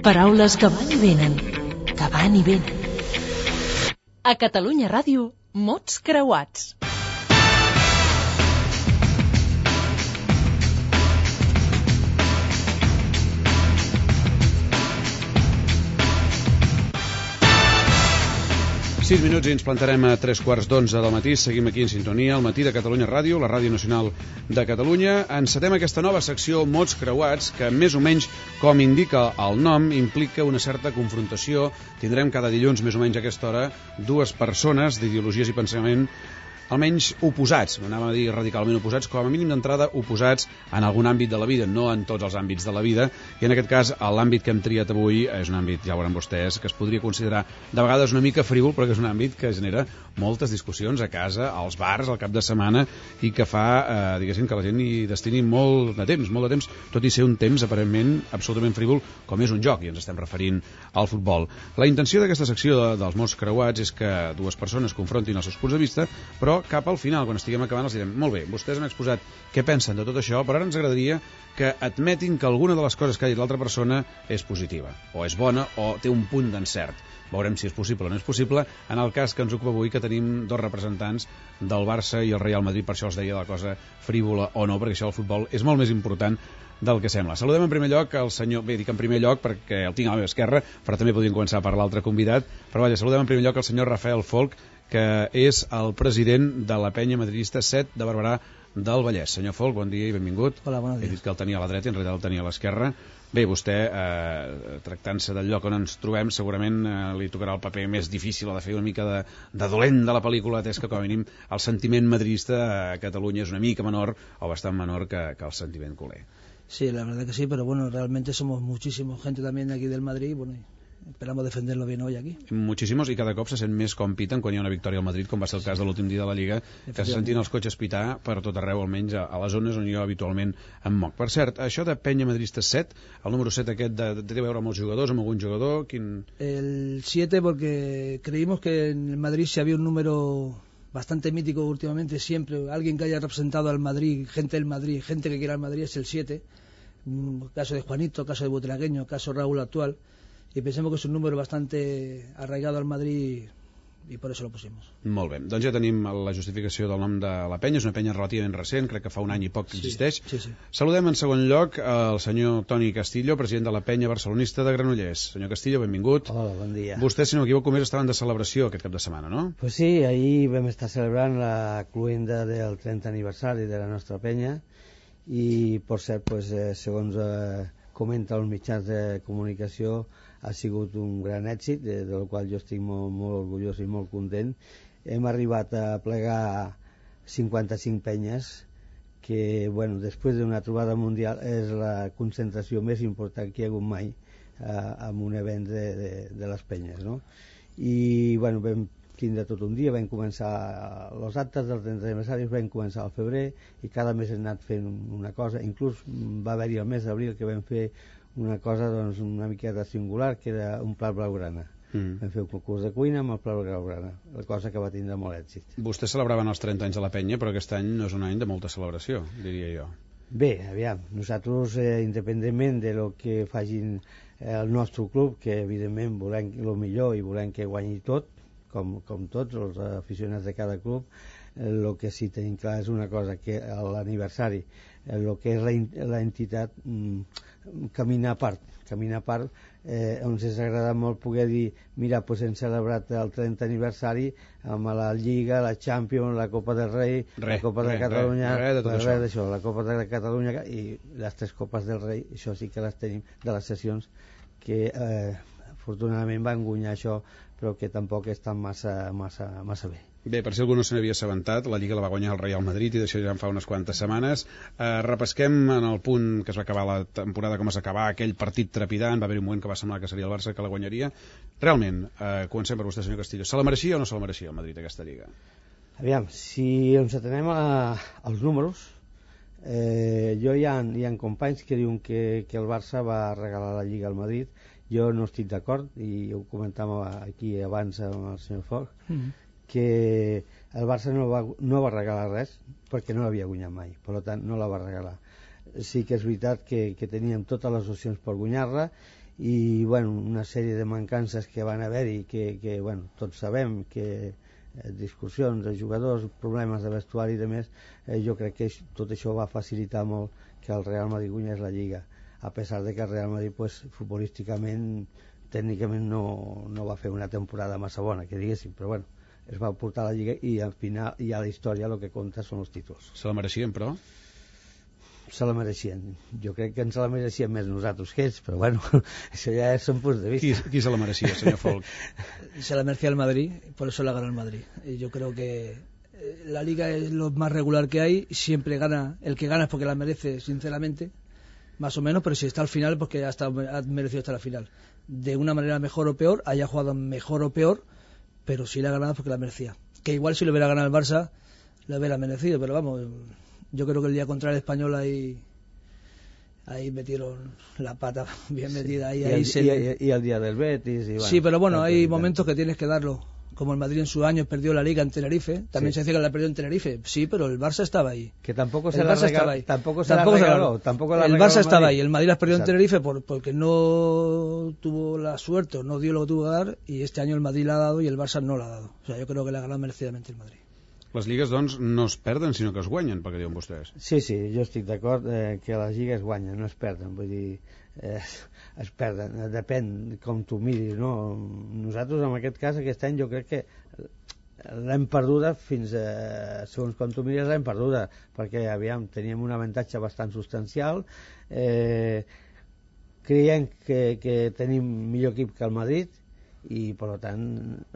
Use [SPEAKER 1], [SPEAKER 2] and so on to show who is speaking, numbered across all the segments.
[SPEAKER 1] Paraules que van i venen, que van i venen. A Catalunya Ràdio, mots creuats.
[SPEAKER 2] Sis minuts i ens plantarem a 3:15 del matí. Seguim aquí en sintonia, al matí de Catalunya Ràdio, la Ràdio Nacional de Catalunya. Encetem aquesta nova secció Mots Creuats, que més o menys, com indica el nom, implica una certa confrontació. Tindrem cada dilluns, més o menys a aquesta hora, dues persones d'ideologies i pensament almenys oposats, anàvem a dir radicalment oposats, com a mínim d'entrada oposats en algun àmbit de la vida, no en tots els àmbits de la vida, i en aquest cas l'àmbit que hem triat avui és un àmbit, ja ho veuran vostès, que es podria considerar de vegades una mica frívol, però que és un àmbit que genera moltes discussions a casa, als bars, al cap de setmana, i que fa, diguéssim, que la gent hi destini molt de temps, tot i ser un temps aparentment absolutament frívol, com és un joc, i ens estem referint al futbol. La intenció d'aquesta secció dels mots creuats és que dues persones confrontin els seus punts de vista, però cap al final, quan estiguem acabant, els direm: molt bé, vostès han exposat què pensen de tot això, però ara ens agradaria que admetin que alguna de les coses que ha dit l'altra persona és positiva, o és bona, o té un punt d'encert. Veurem si és possible o no és possible. En el cas que ens ocupa avui, que tenim dos representants del Barça i el Real Madrid, per això els deia la cosa frívola o no, perquè això del futbol és molt més important del que sembla. Saludem en primer lloc el senyor... Bé, dic en primer lloc perquè el tinc a la meva esquerra, però també podríem començar per l'altre convidat. Però vaja, saludem en primer lloc el senyor Rafael Folch, que és el president de la penya madridista 7 de Barberà del Vallès. Senyor Folch, bon dia i benvingut.
[SPEAKER 3] Hola, bon dia.
[SPEAKER 2] He dit que el tenia a la dreta i en realitat el tenia a l'esquerra. Bé, vostè, tractant-se del lloc on ens trobem, segurament li tocarà el paper més difícil, o de fer una mica de dolent de la pel·lícula, atès que, com a mínim, el sentiment madridista a Catalunya és una mica menor, o bastant menor, que el sentiment culer.
[SPEAKER 3] Sí, la verdad que sí, pero bueno, realmente somos muchísima gente también aquí del Madrid, bueno, esperamos defenderlo bien hoy aquí.
[SPEAKER 2] Muchísimos, i cada cop se sent més com piten quan hi ha una victòria al Madrid, com va ser el cas de l'últim dia de la Lliga, que se sentien els cotxes pitar per tot arreu, almenys a les zones on jo habitualment em moc. Per cert, això de penya madridista 7, el número 7 aquest té a veure amb els jugadors, amb algun jugador?
[SPEAKER 3] El 7 porque creímos que en el Madrid si había un número bastante mítico últimamente, siempre alguien que haya representado al Madrid, gente del Madrid, gente que quiera al Madrid, es el 7. Caso de Juanito, caso de Butragueño, caso Raúl actual, y pensemos que es un número bastante arraigado al Madrid i per això lo pusimos.
[SPEAKER 2] Molt bé, doncs ja tenim la justificació del nom de la penya, és una penya relativament recent, crec que fa un any i poc que existeix.
[SPEAKER 3] Sí.
[SPEAKER 2] Saludem en segon lloc el senyor Toni Castillo, president de la penya barcelonista de Granollers. Senyor Castillo, benvingut.
[SPEAKER 4] Hola, bon dia.
[SPEAKER 2] Vostès, si no m'equivoco, més estaven de celebració aquest cap de setmana, no?
[SPEAKER 4] Pues sí, ahir vam estar celebrant la cluenda del 30 aniversari de la nostra penya i, per cert, pues, segons comenta els mitjans de comunicació, ha sigut un gran èxit, del qual jo estic molt orgullós i molt content. Hem arribat a plegar 55 penyes, que, bueno, després d'una trobada mundial és la concentració més important que hi ha hagut mai en un event de les penyes, no? I, bueno, vam tindre tot un dia, vam començar els actes del 30 aniversari, vam començar al febrer i cada mes hem anat fent una cosa, inclús va haver-hi el mes d'abril que vam fer una cosa, doncs, una miqueta singular, que era un plat blaugrana. Vam fer un concurs de cuina amb el plat blaugrana, la cosa que va tindre molt èxit.
[SPEAKER 2] Vostès celebraven els 30 anys de la penya, però aquest any no és un any de molta celebració, diria jo.
[SPEAKER 4] Bé, aviam, nosaltres, independentment de lo que facin el nostre club, que evidentment volem el millor i volem que guanyi tot, com tots els aficionats de cada club, el que sí tenim clar és una cosa, que l'aniversari, el que és l'entitat, camina a part, ens ens agrada molt poder dir, mira, doncs hem celebrat el 30 aniversari amb la Lliga, la Champions, la Copa del Rei, la Copa de Catalunya, la Copa de Catalunya i les 3 Copes del Rei, això sí que les tenim de les sessions que afortunadament van guanyar això, però que tampoc estan massa bé.
[SPEAKER 2] Bé, per si algú no se n'havia assabentat, la Lliga la va guanyar el Real Madrid i d'això ja en fa unes quantes setmanes. Repesquem en el punt que es va acabar la temporada, com es va acabar aquell partit trepidant, va haver un moment que va semblar que seria el Barça que la guanyaria. Realment, comencem per vostè, senyor Castillo, se la mereixia o no se la mereixia el Madrid aquesta Lliga?
[SPEAKER 4] Aviam, si ens atenem als números, hi ha companys que diuen que el Barça va regalar la Lliga al Madrid. Jo no estic d'acord, i ho comentàvem aquí abans amb el senyor Folch, que el Barça no va regalar res perquè no l'havia guanyat mai, per tant no la va regalar. Sí que és veritat que teníem totes les opcions per guanyar-la i bueno, una sèrie de mancances que van haver-hi que bueno, tots sabem que discussions de jugadors, problemes de vestuari i de més, jo crec que tot això va facilitar molt que el Real Madrid guanyés la Lliga, a pesar de que el Real Madrid pues, futbolísticament tècnicament no va fer una temporada massa bona, que diguéssim, però bueno, es va portar a la Lliga i al final i a la història el que compta són els títols.
[SPEAKER 2] Se la mereixien, però?
[SPEAKER 4] Se la mereixien. Jo crec que ens la mereixien més nosaltres que ells, però bueno, això ja són punts de vista.
[SPEAKER 2] Qui se la mereixia, senyor Folk?
[SPEAKER 3] Se la merecía el Madrid, por eso la ganó el Madrid. Y yo creo que la Liga es lo más regular que hay, siempre gana, el que gana es porque la merece, sinceramente, más o menos, pero si está al final, porque ha merecido estar al final. De una manera mejor o peor, haya jugado mejor o peor, pero si la ha ganado porque la merecía. Que igual si lo hubiera ganado el Barça, lo hubiera merecido, pero vamos, yo creo que el día contra el Español ahí metieron la pata bien metida.
[SPEAKER 4] Y el día del Betis. Y bueno,
[SPEAKER 3] sí, pero bueno, hay momentos que tienes que darlo. Como el Madrid en su año perdió la Liga en Tenerife, también se decía que la perdió en Tenerife, sí, pero el Barça estaba ahí.
[SPEAKER 4] Que tampoco se la regaló. El
[SPEAKER 3] Barça estaba ahí, el Madrid las perdió en Tenerife porque no tuvo la suerte, o no dio lo que tuvo que dar, y este año el Madrid la ha dado y el Barça no la ha dado. O sea, yo creo que la ha ganado merecidamente el Madrid.
[SPEAKER 2] Les lligues, doncs, no es perden, sinó que es guanyen, perquè diuen vostès.
[SPEAKER 4] Sí, jo estic d'acord que les lligues guanyen, no es perden, vull dir, es perden, depèn com tu miris, no? Nosaltres, en aquest cas, aquest any, jo crec que l'hem perduda fins a, segons com tu miris, l'hem perduda, perquè, aviam, teníem un avantatge bastant substancial, creiem que tenim millor equip que el Madrid, i per tant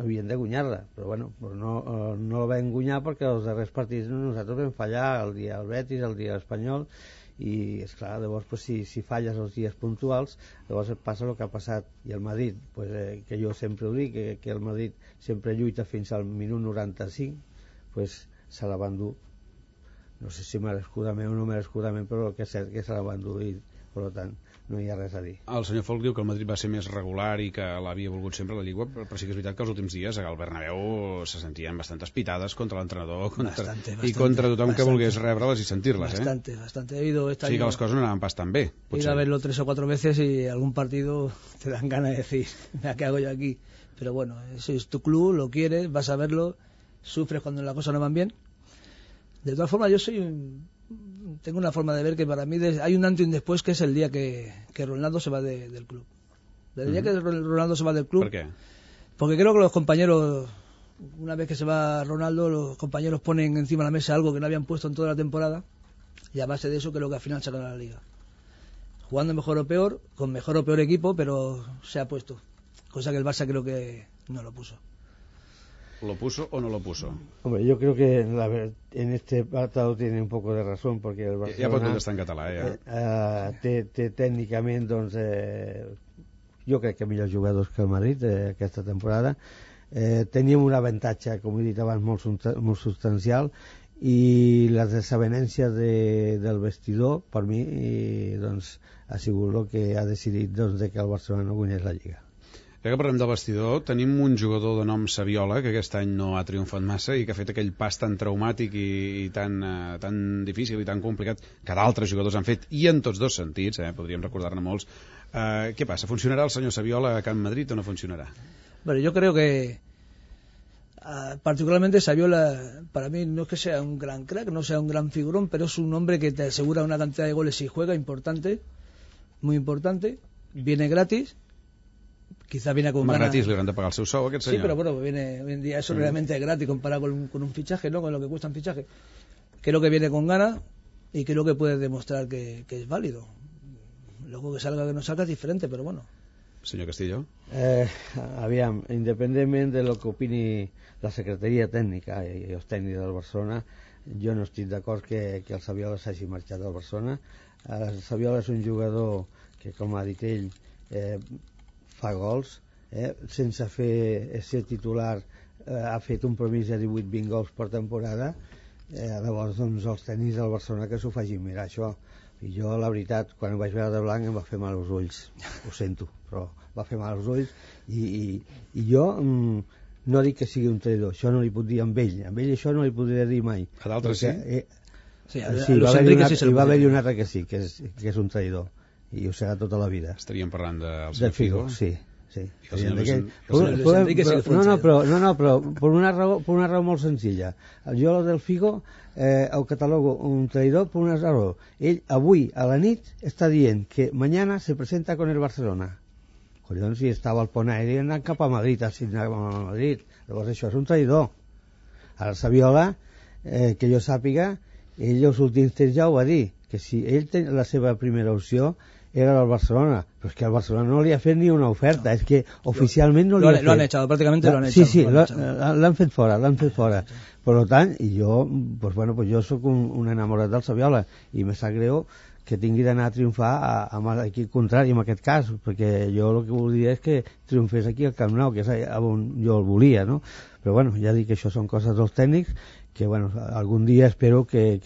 [SPEAKER 4] havien de guanyar-la, però bueno, no la vam guanyar perquè els darrers partits nosaltres vam fallar, el dia del Betis, el dia espanyol, i esclar, llavors pues, si falles els dies puntuals, llavors et passa el que ha passat. I el Madrid, pues, que jo sempre ho dic, que el Madrid sempre lluita fins al minut 95, pues, se la van dur, no sé si merescudament o no merescudament, però el que és cert que se la van dur, i per tant no hi ha res a dir.
[SPEAKER 2] El senyor Folk diu que el Madrid va ser més regular i que l'havia volgut sempre la Lliga, però sí que és veritat que els últims dies al Bernabéu se sentien bastantes pitades contra l'entrenador i contra tothom que volgués rebre-les i sentir-les.
[SPEAKER 3] Bastante. He ido este
[SPEAKER 2] año, sí que les coses no anaven pas tan bé.
[SPEAKER 3] He ido a verlo 3 o 4 veces y algún partido te dan ganas de decir, ¿qué hago yo aquí? Pero bueno, ese es tu club, lo quieres, vas a verlo, sufres cuando las cosas no van bien. De todas formas, tengo una forma de ver que para mí hay un antes y un después, que es el día que Ronaldo se va del club. El día que Ronaldo se va del club.
[SPEAKER 2] ¿Por qué?
[SPEAKER 3] Porque creo que los compañeros, una vez que se va Ronaldo, los compañeros ponen encima de la mesa algo que no habían puesto en toda la temporada, y a base de eso creo que al final se gana la Liga. Jugando mejor o peor, con mejor o peor equipo, pero se ha puesto. Cosa que el Barça creo que no lo puso.
[SPEAKER 2] ¿Lo puso o no lo puso?
[SPEAKER 4] Hombre, yo creo que en este apartado tiene un poco de razón, porque el Barcelona...
[SPEAKER 2] Ja pot contestar en català, ja.
[SPEAKER 4] Té tècnicament, doncs, jo crec que millors jugadors que el Madrid aquesta temporada. Teníem un avantatge, com he dit abans, molt substancial, i les desavenències del vestidor, per mi, doncs, ha sigut el que ha decidit doncs, que el Barcelona no guanyés la Lliga.
[SPEAKER 2] Ja que parlem del vestidor, tenim un jugador de nom Saviola, que aquest any no ha triomfat massa i que ha fet aquell pas tan traumàtic i tan difícil i tan complicat que d'altres jugadors han fet, i en tots dos sentits, podríem recordar-ne molts. Què passa? Funcionarà el senyor Saviola a Can Madrid o no funcionarà?
[SPEAKER 3] Bueno, yo creo que particularmente Saviola, para mí no es que sea un gran crack, no sea un gran figurón, pero es un hombre que te asegura una cantidad de goles si juega importante, muy importante, viene gratis. Quizá viene con ganas.
[SPEAKER 2] Gratis, li hauran de pagar el seu sou, aquest senyor.
[SPEAKER 3] Sí, pero bueno, viene hoy en día eso realmente es gratis comparado con un fichaje, ¿no? Con lo que cuesta un fichaje. Creo que viene con ganas y creo que puede demostrar que es válido. Luego que salga que no salga es diferente, pero bueno.
[SPEAKER 2] Senyor Castillo.
[SPEAKER 4] Aviam, independentment de lo que opini la secretaria tècnica i els tècnics del Barcelona, jo no estic d'acord que el Saviola s'hagi marxat del Barcelona. El Saviola és un jugador que, com ha dit ell, fa gols, sense ser titular, ha fet un promís de 18-20 gols per temporada. Llavors doncs els tècnics del Barcelona que s'ho facin mirar això, i jo la veritat quan ho vaig veure de blanc em va fer mal als ulls, ho sento, però va fer mal als ulls, i jo no dic que sigui un traïdor, això no li puc dir amb ell això no li podria dir mai.
[SPEAKER 2] A d'altres sí?
[SPEAKER 4] Sí, va haver-hi un altre que sí, que és un traïdor, i ho serà tota la vida.
[SPEAKER 2] Estaríem parlant
[SPEAKER 4] del Figo, sí.
[SPEAKER 2] No,
[SPEAKER 4] però per una raó molt senzilla. Jo del Figo ho catalogo un traïdor per una raó. Ell avui a la nit està dient que mañana se presenta con el Barcelona. Collons, si estava al pont aeri anant cap a Madrid, llavors això és un traïdor. Ara el Saviola, que jo sàpiga, ell els últims temps ja ho va dir, que si ell té la seva primera opció era el Barcelona, però és que el Barcelona no li ha fet ni una oferta, és que oficialment no li ha fet.
[SPEAKER 3] Lo han echado, prácticamente lo han echado.
[SPEAKER 4] Sí, l'han fet fora. Per tant, i jo, jo sóc un enamorat del Saviola, i me sap greu que tingui d'anar a triomfar amb l'equip contrari en aquest cas, perquè jo el que volia és que triomfés aquí al Camp Nou, que és on jo el volia, no? Però ja dic que això són coses dels tècnics, que algun dia espero que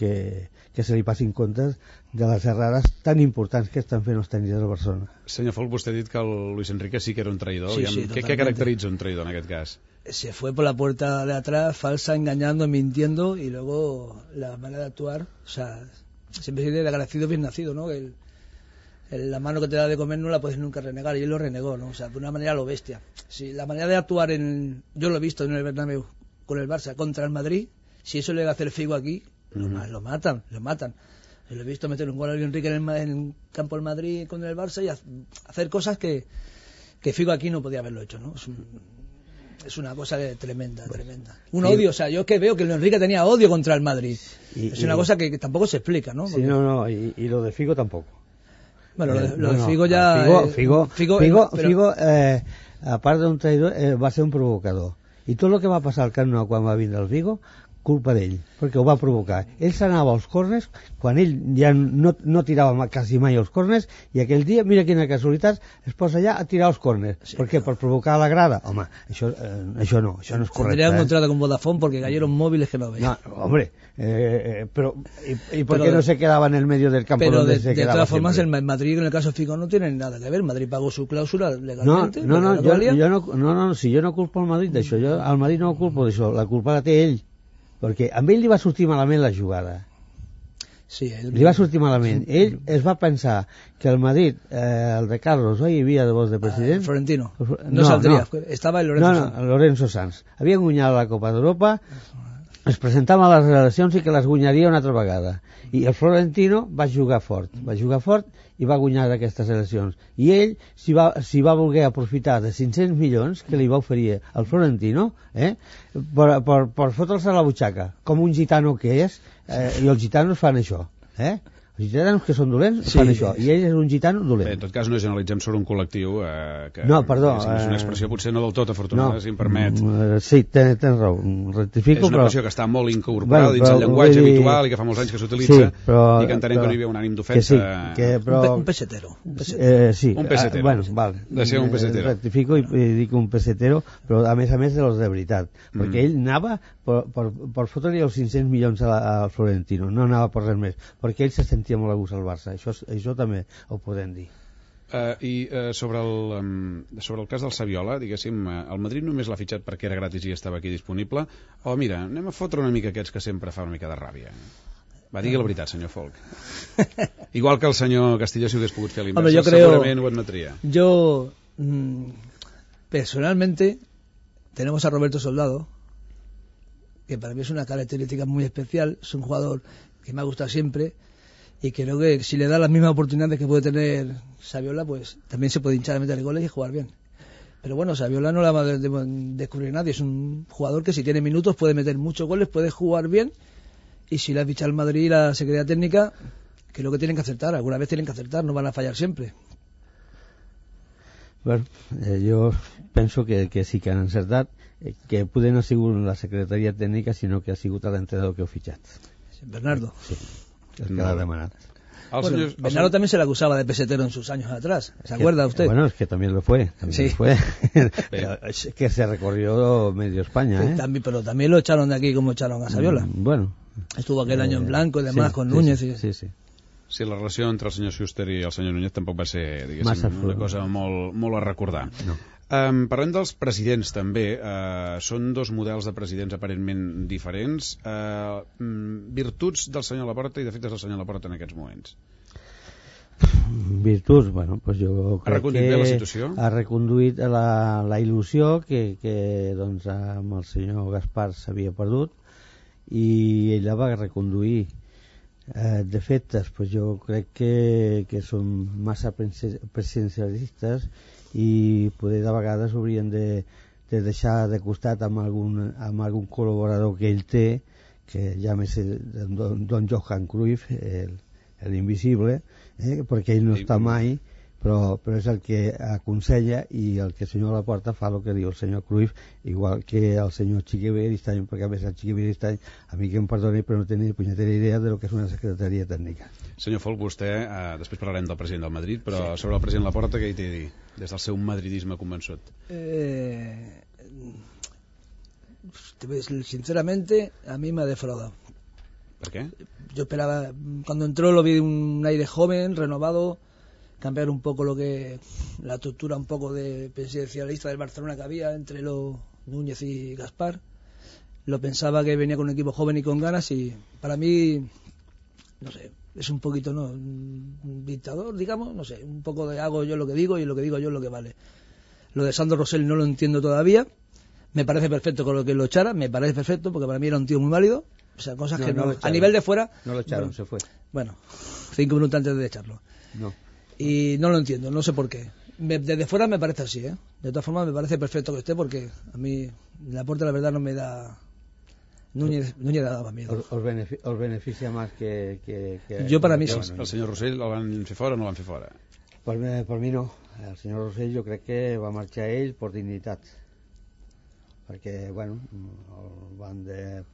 [SPEAKER 4] se li passin comptes de les errades tan importants que estan fent els tècnics del Barcelona.
[SPEAKER 2] Senyor Folk, vostè ha dit que el Luis Enrique sí que era un traïdor.
[SPEAKER 3] Sí,
[SPEAKER 2] ¿Qué caracteritza un traïdor en aquest cas?
[SPEAKER 3] Se fue por la puerta de atrás, falsa, engañando, mintiendo, y luego la manera de actuar, o sea, siempre se dice de agradecido bien nacido, ¿no? La mano que te da de comer no la puedes nunca renegar, y él lo renegó, ¿no? O sea, de una manera lo bestia. Si la manera de actuar yo lo he visto en el Bernabéu con el Barça contra el Madrid, si eso le va a hacer Figo aquí, lo matan. Lo he visto meter un gol a Luis Enrique en el campo del Madrid con el Barça y hacer cosas que Figo aquí no podía haberlo hecho, ¿no? Es una cosa tremenda. Un odio, o sea, yo que veo que Luis Enrique tenía odio contra el Madrid. Es una cosa que tampoco se explica, ¿no?
[SPEAKER 4] Porque... Sí, y lo de Figo tampoco.
[SPEAKER 3] Bueno, lo de Figo ya...
[SPEAKER 4] Figo aparte de un traïdor, va ser un provocador. I tot el que va passar al Camp Nou quan va vindre el Figo, culpa d'ell, perquè ho va provocar. Ell s'anava als córners, quan ell ja no tirava quasi mai als córners, i aquell dia, mira quina casualitat, es posa allà a tirar als córners. Sí, ¿por qué? Per provocar la grada. Home, això no és correcte.
[SPEAKER 3] Tendría un contrato con Vodafone porque cayeron móviles que no veía.
[SPEAKER 4] No, hombre, pero ¿y por qué no se quedaba en el medio del campo donde se quedaba?
[SPEAKER 3] De todas formas, el Madrid, en el caso de Figo, no tiene nada que ver. Madrid pagó su cláusula legalmente.
[SPEAKER 4] Si jo no culpo al Madrid d'això, jo al Madrid no culpo d'això, la culpa la té ell. Perquè a ell li va sortir malament la jugada.
[SPEAKER 3] Sí,
[SPEAKER 4] li va sortir malament. Ell es va pensar que el Madrid, el de Carlos, hi havia de voz de president...
[SPEAKER 3] Florentino. No saldria. Estava el Lorenzo Sanz.
[SPEAKER 4] Lorenzo Sanz. Havia guanyat la Copa d'Europa, es presentava a les eleccions i que les guanyaria una altra vegada. I el Florentino va jugar fort i va guanyar aquestes eleccions. I ell s'hi va voler aprofitar de 500 milions que li va oferir el Florentino per fotre'ls a la butxaca, com un gitano que és, i els gitanos fan això. Els gitanos que són dolents fan això, i ell és un gitano dolent.
[SPEAKER 2] Bé, en tot cas no generalitzem sobre un col·lectiu que
[SPEAKER 4] no, perdó,
[SPEAKER 2] és una expressió potser no del tot afortunada, si em permet.
[SPEAKER 4] Sí, tens raó, rectifico,
[SPEAKER 2] és una expressió que està molt incorporada dins el llenguatge habitual i que fa molts anys que s'utilitza, i que entenem que no hi havia un ànim d'ofensa.
[SPEAKER 3] Un pesetero.
[SPEAKER 4] Sí,
[SPEAKER 2] un pesetero.
[SPEAKER 4] Bueno, val.
[SPEAKER 2] De ser un pesetero.
[SPEAKER 4] Rectifico i dic un pesetero, però a més de los de veritat, perquè ell anava per fotre-li els 500 milions al Florentino, no anava per res més, perquè ell se sentia molt a gust al Barça, això també ho podem dir.
[SPEAKER 2] I sobre el cas del Saviola, diguéssim, el Madrid només l'ha fitxat perquè era gratis i estava aquí disponible, o mira, anem a fotre una mica aquests que sempre fa una mica de ràbia. Va, digui la veritat, senyor Folk. Igual que el senyor Castillo, si ho hagués pogut fer a l'inversa, segurament ho admetria.
[SPEAKER 3] Yo, personalmente, tenemos a Roberto Soldado, que para mí es una característica muy especial, es un jugador que me ha gustado siempre, y creo que si le da las mismas oportunidades que puede tener Saviola, pues también se puede hinchar a meter goles y jugar bien. Pero bueno, Saviola no la va a descubrir nadie, es un jugador que si tiene minutos puede meter muchos goles, puede jugar bien, y si le ha fichado el Madrid y la Secretaría Técnica, creo que tienen que acertar, alguna vez tienen que acertar, no van a fallar siempre.
[SPEAKER 4] Bueno, jo penso que sí que han encertat, que poder no ha sigut la Secretaria Tècnica, sinó que ha sigut l'entrenador que ho fitxat.
[SPEAKER 3] Bernardo.
[SPEAKER 4] Sí, el que l'ha demanat.
[SPEAKER 3] Bueno, Bernardo también se le acusaba de pesetero en sus años atrás, ¿se acuerda usted?
[SPEAKER 4] Bueno, es que también lo fue.
[SPEAKER 3] Sí.
[SPEAKER 4] Que se recorrió medio España, ¿eh?
[SPEAKER 3] Pero también lo echaron de aquí como echaron a Saviola.
[SPEAKER 4] Bueno.
[SPEAKER 3] Estuvo aquel año en blanco y demás, con Núñez.
[SPEAKER 2] Sí, la relació entre el senyor Schuster i el senyor Núñez tampoc va ser, diguéssim, una cosa molt a recordar.
[SPEAKER 4] No.
[SPEAKER 2] Parlem dels presidents també. Són dos models de presidents aparentment diferents. Virtuts del senyor Laporta i defectes del senyor Laporta en aquests moments.
[SPEAKER 4] virtuts, bueno, pues jo crec
[SPEAKER 2] reconduït bé la situació?
[SPEAKER 4] Ha reconduït la il·lusió que doncs, amb el senyor Gaspar s'havia perdut i ell la va reconduir. De fet, pues jo crec que són massa presidencialistes i poder de vegades haurien de deixar de costat amb algun col·laborador que ell té, que ja més Don Johan Cruyff, l'invisible, perquè ell no està mai, però és el que aconsella, i el que el senyor Laporta fa el que diu el senyor Cruyff, igual que el senyor Chiqui Beristain, perquè a més el Chiqui Beristain, a mi que em perdoni, però no tenia ni punyetera idea de lo que és una secretaria tècnica.
[SPEAKER 2] Senyor Folch, vostè, després parlarem del president del Madrid, però sobre el president Laporta, què hi té a dir, des del seu madridisme convençut?
[SPEAKER 3] Sinceramente, a mí me ha defraudado.
[SPEAKER 2] ¿Por qué?
[SPEAKER 3] Yo esperaba, cuando entró lo vi un aire joven, renovado, cambiar un poco la estructura un poco de presidencialista del Barcelona que había entre los Núñez y Gaspar. Lo pensaba que venía con un equipo joven y con ganas, y para mí, no sé, es un poquito, ¿no?, un dictador, digamos, no sé, un poco de hago yo lo que digo y lo que digo yo es lo que vale. Lo de Sandro Rosell no lo entiendo todavía. Me parece perfecto con lo que lo echara, me parece perfecto, porque para mí era un tío muy válido. O sea, cosas que no, a nivel de fuera...
[SPEAKER 4] No lo echaron,
[SPEAKER 3] bueno,
[SPEAKER 4] se fue.
[SPEAKER 3] Bueno, 5 minutos antes de echarlo.
[SPEAKER 4] No.
[SPEAKER 3] Y no lo entiendo, no sé por qué. Desde fuera me parece así, ¿eh? De todas formas me parece perfecto que esté, porque a mí Laporta la verdad no me da... Núñez daba miedo.
[SPEAKER 4] Os beneficia más que
[SPEAKER 3] yo para mí sí.
[SPEAKER 2] El senyor Rosell el van fer fora o no el van fer fora?
[SPEAKER 4] Per mi no. El senyor Rosell jo crec que va marxar ell per dignitat, perquè bueno, el van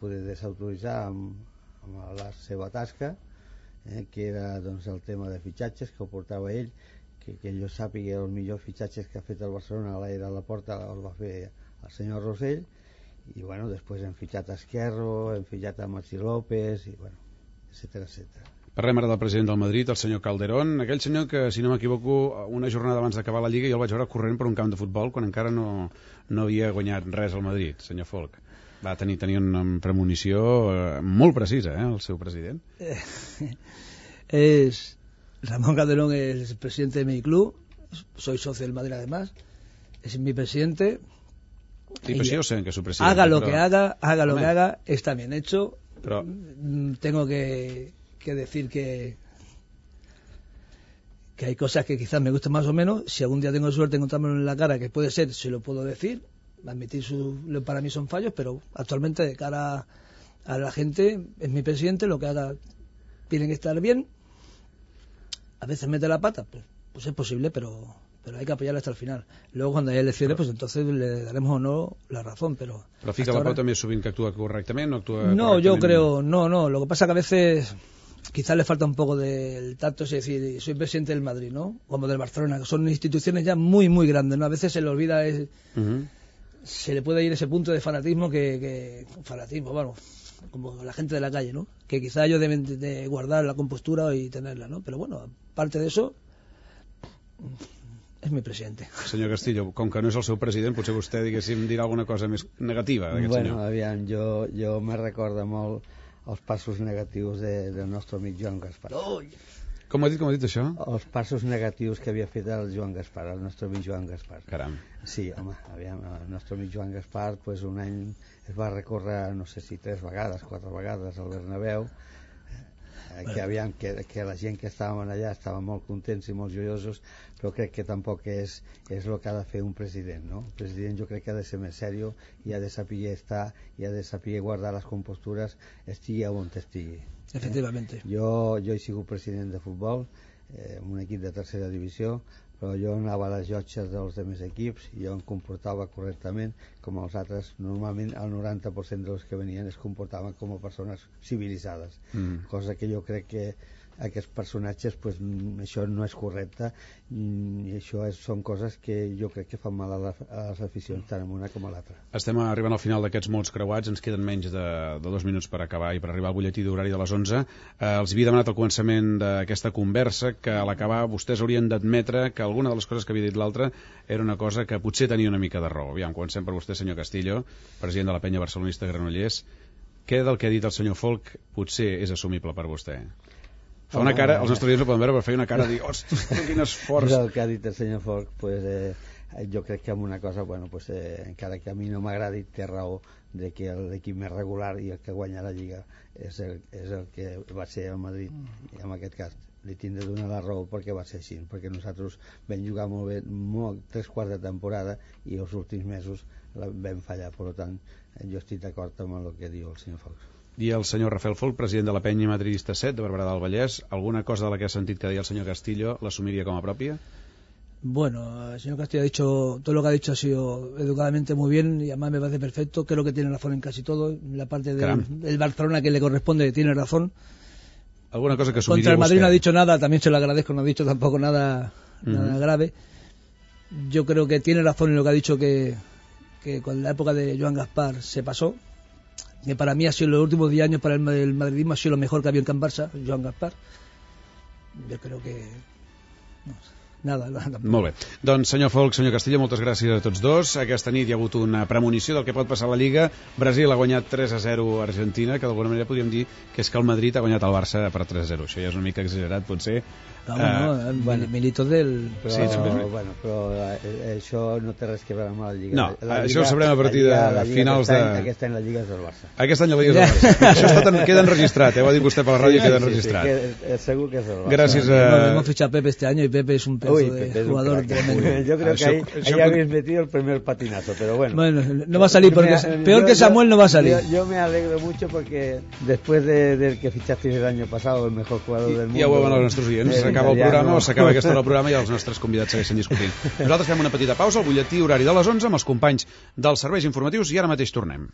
[SPEAKER 4] poder desautoritzar amb la seva tasca, que era doncs, el tema de fitxatges que ho portava ell, que jo sàpiga els millors fitxatges que ha fet el Barcelona a l'era de Laporta el va fer el senyor Rosell, i bueno, després hem fitxat a Esquerro, hem fitxat a Maxi López, i bueno, etcètera.
[SPEAKER 2] Parlem ara del president del Madrid, el senyor Calderón, aquell senyor que, si no m'equivoco, una jornada abans d'acabar la Lliga jo el vaig veure corrent per un camp de futbol quan encara no havia guanyat res al Madrid, senyor Folch. Va tenir una premonició molt precisa, el seu president.
[SPEAKER 3] Ramón Calderón es el presidente de mi club, soy socio del Madrid además, es mi presidente.
[SPEAKER 2] Sí, pero sí, yo sé que es su presidente.
[SPEAKER 3] Haga lo que haga, está bien hecho.
[SPEAKER 2] Pero
[SPEAKER 3] tengo que decir que hay cosas que quizás me gustan más o menos. Si algún día tengo suerte de encontrármelo en la cara, que puede ser, se lo puedo decir, admitir para mí son fallos, pero actualmente de cara a la gente es mi presidente, lo que haga tiene que estar bien. A veces mete la pata, pues es posible, pero hay que apoyarle hasta el final. Luego cuando haya elecciones, pues entonces le daremos o no la razón, pero
[SPEAKER 2] fica la pauta més sovint que actua correctament o actua
[SPEAKER 3] no,
[SPEAKER 2] correctament?
[SPEAKER 3] yo creo, no, lo que pasa que a veces quizás le falta un poco del tacto, es decir, soy presidente del Madrid, ¿no?, como del Barcelona, que son instituciones ya muy, muy grandes, ¿no? A veces se le olvida, se le puede ir ese punto de fanatismo fanatismo, bueno, como la gente de la calle, ¿no?, que quizás ellos deben de guardar la compostura y tenerla, ¿no? Pero bueno, aparte de eso, és mi president.
[SPEAKER 2] Senyor Castillo, com que no és el seu president, potser vostè, diguéssim, dirà alguna cosa més negativa d'aquest senyor.
[SPEAKER 4] Bueno, aviam, jo me recorda molt els passos negatius del nostre amic Joan Gaspar.
[SPEAKER 2] Com ha dit això?
[SPEAKER 4] Els passos negatius que havia fet el Joan Gaspar, el nostre amic Joan Gaspar.
[SPEAKER 2] Caram.
[SPEAKER 4] Sí, home, aviam, el nostre amic Joan Gaspar, pues, un any es va recórrer, no sé si 3 vegades, 4 vegades al Bernabéu, que aviam, que la gent que estàvem allà estaven molt contents i molt joiosos, però crec que tampoc és el que ha de fer un president, no? El president jo crec que ha de ser més seriós i ha de saber estar i ha de saber guardar les compostures, estigui on estigui.
[SPEAKER 3] Efectivamente.
[SPEAKER 4] Jo he sigut president de futbol en un equip de tercera divisió, però jo anava a les llotges dels altres equips i jo em comportava correctament com els altres. Normalment el 90% dels que venien es comportaven com a persones civilitzades, cosa que jo crec que aquests personatges, pues, això no és correcte, i això són coses que jo crec que fan mal a les aficions tant en una com a l'altra.
[SPEAKER 2] Estem arribant al final d'aquests mots creuats, ens queden menys de 2 minuts per acabar i per arribar al butlletí d'horari de les 11. Els havia demanat al començament d'aquesta conversa que a l'acabar vostès haurien d'admetre que alguna de les coses que havia dit l'altre era una cosa que potser tenia una mica de raó. Aviam, comencem per vostè, senyor Castillo, president de la penya barcelonista Granollers. Què del que ha dit el senyor Folch potser és assumible per vostè? Fa una cara, els nostres dies no poden veure, però feia una cara de dir, ostres, quin esforç.
[SPEAKER 4] El que ha dit el senyor Folch, jo crec que amb una cosa, encara que a mi no m'agradi, té raó de que l'equip més regular i el que guanya la Lliga és el que va ser el Madrid, i en aquest cas li tindré de donar la raó perquè va ser així, perquè nosaltres vam jugar molt bé 3 quarts de temporada i els últims mesos vam fallar. Per tant, jo estic d'acord amb el que diu el senyor Folch.
[SPEAKER 2] I el senyor Rafael Folch, president de la penya madridista 7 de Barberà del Vallès, alguna cosa de la que ha sentit que deia el senyor Castillo l'assumiria com a pròpia?
[SPEAKER 3] Bueno, el señor Castillo ha dicho, todo lo que ha dicho ha sido educadamente muy bien y además me parece perfecto. Creo que tiene razón en casi todo. La parte del Barcelona que le corresponde tiene razón.
[SPEAKER 2] ¿Alguna cosa que asumiría
[SPEAKER 3] Contra el Madrid
[SPEAKER 2] usted?
[SPEAKER 3] No ha dicho nada, también se lo agradezco, no ha dicho tampoco nada grave. Yo creo que tiene razón en lo que ha dicho que con la época de Joan Gaspar se pasó. Que para mí ha sido los últimos 10 años para el madridismo ha sido lo mejor que había en Can Barça, Joan Gaspar. Jo crec que... No sé. Nada.
[SPEAKER 2] Molt bé. Doncs, senyor Folch, senyor Castillo, moltes gràcies a tots dos. Aquesta nit hi ha hagut una premonició del que pot passar a la Lliga. Brasil ha guanyat 3-0 a Argentina, que d'alguna manera podríem dir que és que el Madrid ha guanyat el Barça per 3-0. Això ja és una mica exagerat, potser.
[SPEAKER 3] Milito del...
[SPEAKER 4] Però això no té res que veure amb la Lliga.
[SPEAKER 2] No, això ho sabrem a partir de finals de...
[SPEAKER 4] Aquest any la Lliga és del Barça.
[SPEAKER 2] Aquest any la Lliga és del Barça. Això queda enregistrat, ho ha dit vostè per la ràdio, queda enregistrat.
[SPEAKER 4] Segur que és del Barça.
[SPEAKER 2] Gràcies a...
[SPEAKER 3] Hemos fichado a Pepe este año y Pepe es un pedazo de jugador tremendo.
[SPEAKER 4] Yo creo que ahí habéis metido el primer patinazo, pero bueno.
[SPEAKER 3] Bueno, no va a salir, porque peor que Samuel no va a salir.
[SPEAKER 4] Yo me alegro mucho porque después del que fichasteis el año pasado, el mejor jugador del mundo...
[SPEAKER 2] Ja ho veuen els nostres oients, s'acaba el programa o s'acaba aquesta hora del programa i els nostres convidats segueixen discutint. Nosaltres fem una petita pausa al butlletí horari de les 11 amb els companys dels serveis informatius i ara mateix tornem.